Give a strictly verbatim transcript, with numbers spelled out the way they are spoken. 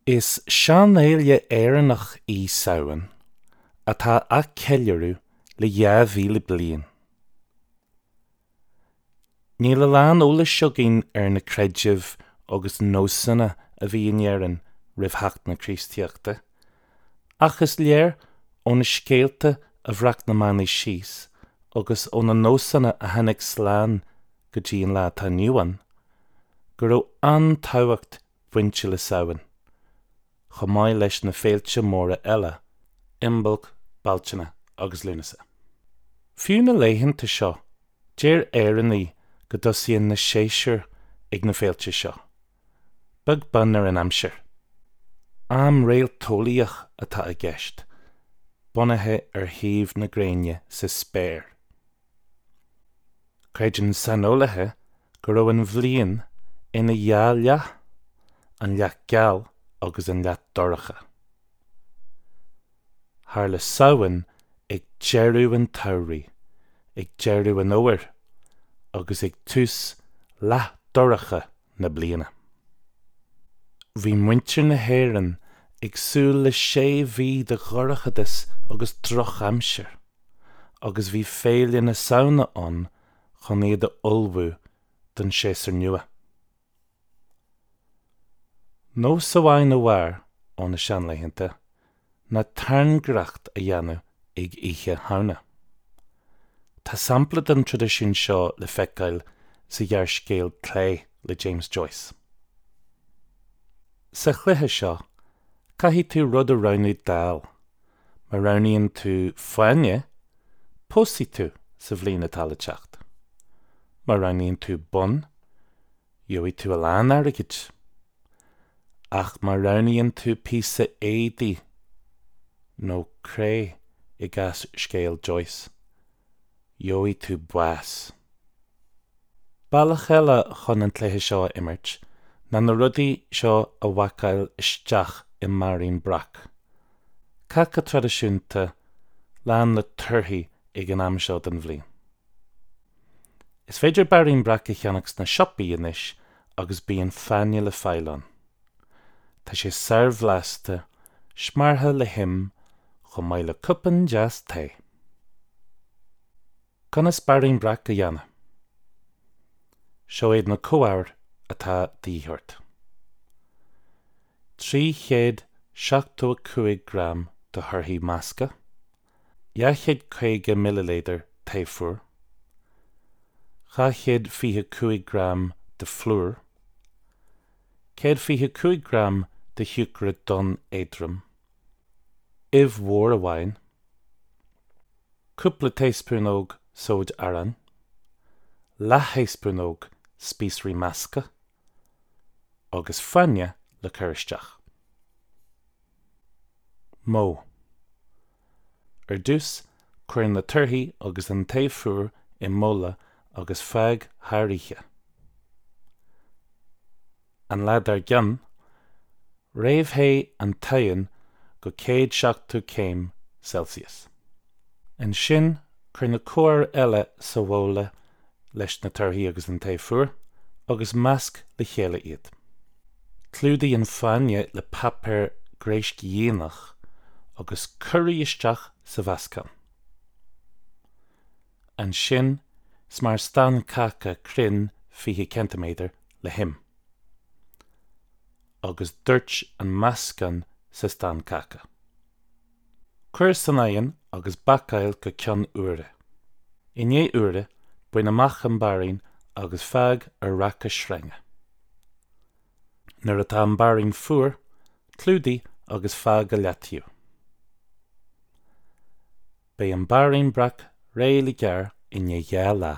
Is seanfhéile Éireannach í Samhain atá á ceiliúradh le dhá mhíle bliain. Níl a lán eolais againn ar na creidimh agus nósanna a bhí in Éirinn roimh theacht na Críostaíochta, ach is léir ó na scéalta a bhreac na manaigh síos agus ó na nósanna a tháinig slán go dtí an lá atá inniu ann, go raibh an-tábhacht bainte le Samhain, chomh maith leis na féilte móra eile, Imbolc, Bealtaine agus Lúnasa. Fiú na laethanta seo, deir Éireannaigh go dtosaíonn na séasúir ag na féilte seo, beag beann ar an aimsir. Am réalteolaíoch atá i gceist, bunaithe ar shuíomh na gréine sa spéir. Creideann saineolaithe go raibh an bhliain ina dhá leath, an leath geal agus an leath dorcha. Tharla Samhain ag deireadh an tsamhraidh, ag deireadh an fhómhair agus ag tús leath dorcha na bliana. Bhí muintir na hÉireann ag súil le sé mhí de dhorchadas agus drochaimsir, agus bhí Féile na Samhna ann chun iad a ullmhú don séasúr nua. Nós amháin a mhair ó na seanlaethanta ná tairngreacht a dhéanamh ag Oíche Shamhna. Tá sampla den traidisiún seo le feiceáil sa ghearrscéal Clé le James Joyce. Sa chluiche seo, caithfidh tú rud a roghnú d'fháil. Má roghnaíonn tú fáinne, pósfaidh tú sa bhliain atá le teacht. Má roghnaíonn tú bonn, gheobhaidh tú a lán airgid. Ach má roghnaíonn tú píosa éadaí nó cré i gcás scéal Joyce, gheobhaidh tú bás. Bealach eile chun an cluiche seo a imirt ná na rudaí seo a bhacáil isteach i mbairín breac. Cáca traidisiúnta lán le torthaí ag an am seo den bhliain. Is féidir bairín breac a cheannach sna siopaí anois agus bíonn fáinne le fáil ann. Tá sé sárbhlasta, smeartha le him, chomh maith le cupán deas tae. Conas bairín breac a dhéanamh? Seo iad na comhábhair atá de dhíth ort. Trí chéad seachtó a cúig gram de thorthaí measctha, dhá chéad caoga millilítear tae fuar, dhá chéad fiche cúig gram de phlúr, céad fiche cúig gram de shiúcra donn éadrom, ubh mhór amháin, cúpla taespúnóg sóid aráin, leath-thaespúnóg spíosraí measctha, agus fáinne le cur isteach. Modh. Ar dtús, cuir na torthaí agus an tae fuar i mbabhla agus fág thar oíche. An lá dár gcionn, réamhthéigh an t-oigheann go céad seachtó céim Celsius. Ansin, cuir na comhábhair eile sa bhabhla leis na torthaí agus an tae fuar, agus measc le chéile iad. Clúdaigh an fáinne le páipéar gréiscdhíonach agus cuir í isteach sa mheascán. Ansin, smear stán cáca cruinn fiche ceintiméadar le him. Agus doirt an meascán sa stán cáca. Cuir san oigheann agus bácáil go ceann uaire. I ndiaidh uaire, bain amach an bairín agus fág ar raca sreinge. Nuair atá an bairín fuar, clúdaigh agus fág go leataobh. Beidh an bairín breac réidh le gearradh i ndiaidh dhá lá.